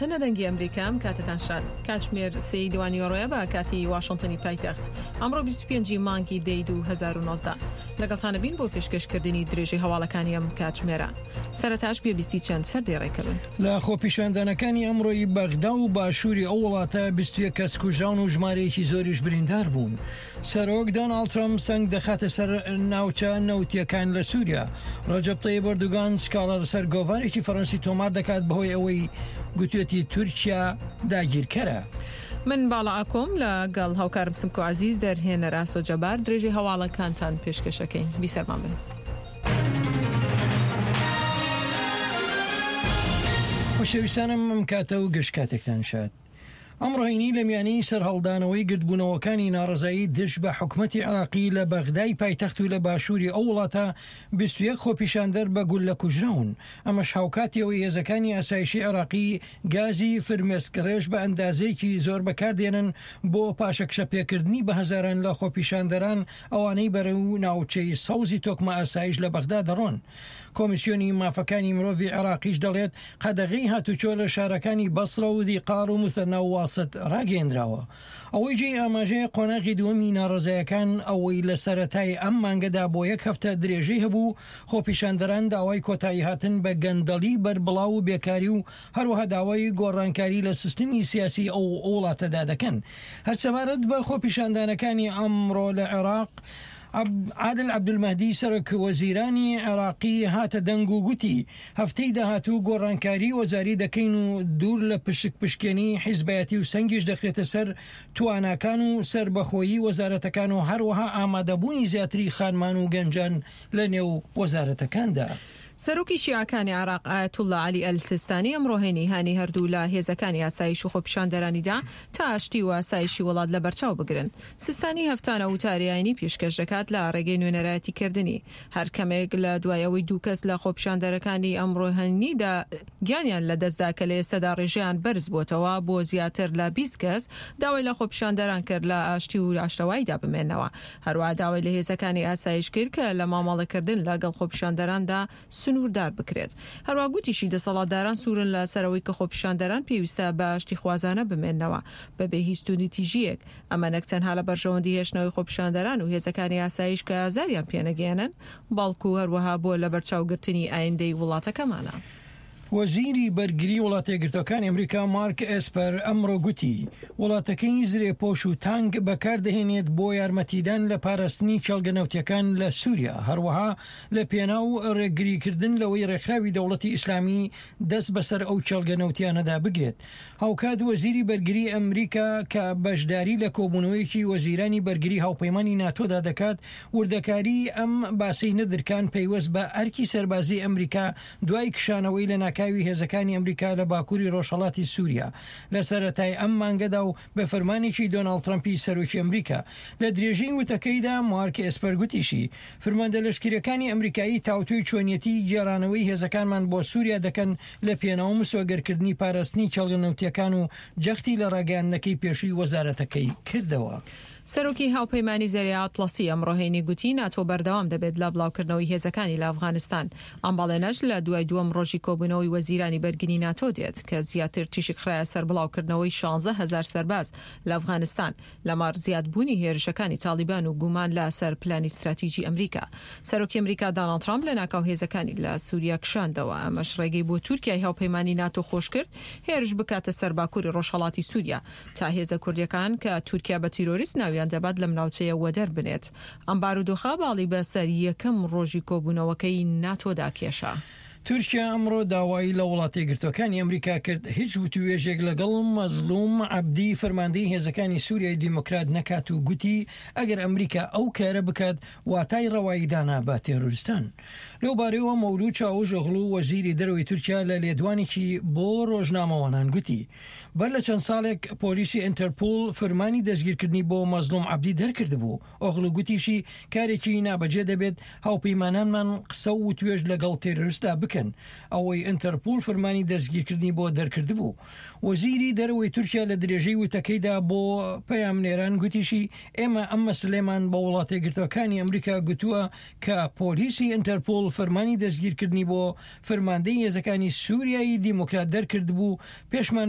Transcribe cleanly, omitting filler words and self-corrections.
تنە دەنگی ئەمریکا ئەم کاتەتان شاد. کاتژمێر سێی دوانیوەڕۆیە بە کاتی واشنتنی پایتەخت. ئەمڕۆ 25 ی مانگی دەی 2019. لەگەڵتانە بین بۆ پێشکەشکردنی درێژەی هەواڵەکانی ئەم کاتژمێرە. سەرەتاش گوێبیستی چەند سەردێڕێکە بن. لە خۆپیشاندانەکانی ئەمڕۆی بەغدا و باشووری ئەو وڵاتە 21 کەس کوژراون و ژمارەیەکی زۆریش بریندار بوون. سەرۆک دۆناڵد ترەمپ سەنگ دەخاتە سەر ناوچە نەوتییەکان لە سووریا. ڕەجەب تەیب ئەردۆگان سکاڵا لەسەر گۆڤارێکی فەرەنسی تۆمار دەکات بەهۆی ئەوەی گوتوێتی تورکیا داگیرکەرە. من باڵا ئاکۆم لە گەڵ هاوکارم سمکۆ عەزیز دەرهێنەر ئاسۆ جەبار درێژەی هەواڵەکانتان پێشکەش ئەکەین. بیسەرمان بن. خۆشەویستانم ئەم کاتە و گشت کاتێکتان شاد. ئەمڕۆ هەینی لە میانەی سەرهەڵدانەوەی گردبوونەوەکانی ناڕەزایی دژ بە حکومەتی عێراقی لە بەغدای پایتەخت و لە باشووری ئەو وڵاتە 21 خۆپیشاندەر بە گوللە کوژراون، ئەمەش هاوکاتی ئەوەی هێزەکانی ئاسایشی عێراقی گازی فرمێسکڕێژ بە ئەندازەیەکی زۆر بەکاردێنن بۆ پاشەکشەپێکردنی بە هەزاران لە خۆپیشاندەران ئەوانەی بەرەو ناوچەی سەوزی تۆکمە ئاسایش لە بەغدا دەڕۆن. کۆمیسیۆنی مافەکانی مرۆڤی عێراقیش دەڵێت، قەدەغەی هاتوچۆ لە شارەکانی بەسڕە و زیقار و موسەنا و واسط ڕاگەیەندراوە. ئەوەی جێی ئاماژەیە قۆناغی دووەمی ناڕەزایەکان ئەوەی لە سەرەتای ئەم مانگەدا بۆ یەک هەفتە درێژەی هەبوو، خۆپیشاندەران داوای کۆتاییهاتن بە گەندەڵی بەربڵاو و بێکاری و هەروەها داوای گۆڕانکاری لە سیستمی سیاسی ئەو وڵاتەدا دەکەن. هەر سەبارەت بە خۆپیشاندانەکانی ئەمڕۆ لە عێراق، عادل عەبدولمەهدی سەرۆک وەزیرانی عێراقی هاتە دەنگ و گوتی، هەفتەی داهاتوو گۆڕانکاری وەزاری دەکەین و دوور لە پشک پشکێنی حیزبایەتی و سەنگیش دەخرێتە سەر تواناکان و سەربەخۆیی وەزارەتەکان و هەروەها ئامادەبوونی زیاتری خانمان و گەنجان لە نێو وەزارەتەکاندا. سەرۆکی شیعەکانی عێراق ئایەتوڵڵا عەلی ئەلسیستانی ئەمڕۆ هەینی هانی هەردوو لا هێزەکانی ئاسایش و خۆپیشاندەرانی دا تا ئاشتی و ئاسایشی وڵات لەبەرچاو بگرن. سیستانی هەفتانە وتاری ئاینی پێشکەش دەکات لە ڕێگەی نوێنەرایەتی کردنی هەر کەمێک لە دوای ئەوەی دوو کەس لە خۆپیشاندەرەکانی ئەمڕۆ هەینیدا گیانیان لەدەستدا کە لە ئێستادا ڕێژەیان بەرز بۆتەوە بۆ زیاتر لە 20 کەس داوای لە خۆپیشاندەران کرد لە ئاشتی و ئاشتەواییدا بمێنەوە. هەروەها داوای لە هێزەکانی ئاسایش کرد کە لە مامەڵەکردن لەگەڵ خۆپیشاندەراندا سنووردار بکرێت. هەروەها گوتیشی دەسەڵاتداران سوورن لە سەر ئەوەی کە خۆپیشاندەران پێویستە بە ئاشتیخوازانە بمێننەوە بەبێ هیچ توندوتیژییەک، ئەمە نەک تەنها لە بەرژەوەندی هێشتنەوەی خۆپیشاندەران و هێزەکانی ئاسایش کە ئازاریان پێنەگەیەنن، بەڵکو هەروەها بۆ لەبەرچاوگرتنی ئایندەی وڵاتەکەمانە. وەزیری بەرگری وڵاتەیەکگرتووەکانی ئەمریکا مارک ئێسپەر ئەمڕۆ گوتی، وڵاتەکەی زرێپۆش و تانک بەکاردەهێنێت بۆ یارمەتیدان لە پاراستنی کێڵگە نەوتیەکان لە سوریا، هەروەها لە پێناو ڕێگریکردن لەوەی ڕێکخراوی دەوڵەتی ئیسلامی دەست بەسەر ئەو کێڵگە نەوتیانەدا بگرێت. هاوکات وەزیری بەرگری ئەمریکا کە بەشداری لە کۆبوونەوەیەکی وەزیرانی بەرگری هاوپەیمانی ناتۆدا دەکات، وردەکاری ئەم باسەی نەدرکان پەیوەست بە ئەرکی سەربازی ئەمریکا دوای کشانەوەی لەناکاوی هێزەکانی ئەمریکا لە باکووری ڕۆژهەڵاتی سووریا لە سەرەتای ئەم مانگەدا و بە فەرمانێکی دۆناڵد ترەمپی سەرۆکی ئەمریکا. لە درێژەی وتەکەیدا مارک ئێسپەر گوتیشی، فرماندە لەشکرییەکانی ئەمریکایی تاوتوێی چۆنیەتیی گێڕانەوەی هێزەکانمان بۆ سووریا دەکەن لە پێناو مسۆگەرکردنی پاراستنی کێڵگە نەوتییەکان و جەختی لە ڕاگەیاندنەکەی پێشووی وەزارەتەکەی کردەوە. سەرۆکی هاوپەیمانی زەریای ئەتڵەسی ئەمڕۆ هەینی گوتی ناتۆ بەردەوام دەبێت لە بڵاوکردنەوەی هێزەکانی لە ئەفغانستان. ئەم بەڵێنەش لە دوای دووەم ڕۆژی کۆبوونەوەی وەزیرانی بەرگری ناتۆ دێت کە زیاتر تیشک خرایە سەر بڵاوکردنەوەی 16 هەزار سەرباز لە ئەفغانستان لەمەڕ زیادبوونی هێرشەکانی تاڵیبان و گومان لە سەر پلانی ستراتیجی ئەمریکا. سەرۆکی ئەمریکا داناڵد ترامپ لەناکاو هێزەکانی لە سوریا کشاندەوە، ئەمەش ڕێگەی بۆ تورکیای هاوپەیمانی ناتۆ خۆشکرد هێرش بکاتە سەر باکوری ڕۆژهەڵاتی سوریا تا هێزە کوردیەکان کە تورکیا بە تیرۆریست ناویان دەبات لەم ناوچەیە وەدەر بنێت. ئەم بارودۆخە باڵی بە سەر یەکەم ڕۆژی کۆبوونەوەکەی ناتۆدا کێشا. تورکیا ئەمڕۆ داوای لە وڵاتەیەکگرتووەکانی ئەمریکا کرد هیچ وتووێژێک لەگەڵ مەزڵوم عەبدی فەرماندەی هێزەکانی سوریای دیموکرات نەکات و گوتی ئەگەر ئەمریکا ئەو کارە بکات واتای ڕەوایی دانا بە تێرۆریستان. لەو بارەیەوە مەولود چاوشئۆغڵو وەزیری دەرەوەی تورکیا لە لێدوانێکی بۆ ڕۆژنامەوانان گوتی بەر لە چەند ساڵێک پۆلیسی ئینتەرپوڵ فرمانی دەستگیرکردنی بۆ مەزڵوم عەبدی دەرکردبوو. ئۆغڵو گوتیشی، کارێکی نابەجێ دەبێت هاوپەیمانانمان قسە و وتوێژ لەگەڵ تێرۆریستدا بکەن. بکەن، ئەوەی ئینتەرپوڵ فرمانی دەستگیرکردنی بۆ دەرکردبوو. وەزیری دەرەوەی تورکیا لە درێژەی وتەکەیدا بۆ پەیامنێران گوتیشی، ئێمە ئەم مەسەلەیەمان بە وڵاتەیەکگرتووەکانی ئەمریکا گوتووە کە پۆلیسی ئینتەرپوڵ فەرمانی دەستگیرکردنی بۆ فەرماندەی هێزەکانی سوریای دیموکرات دەرکردبوو، پێشمان.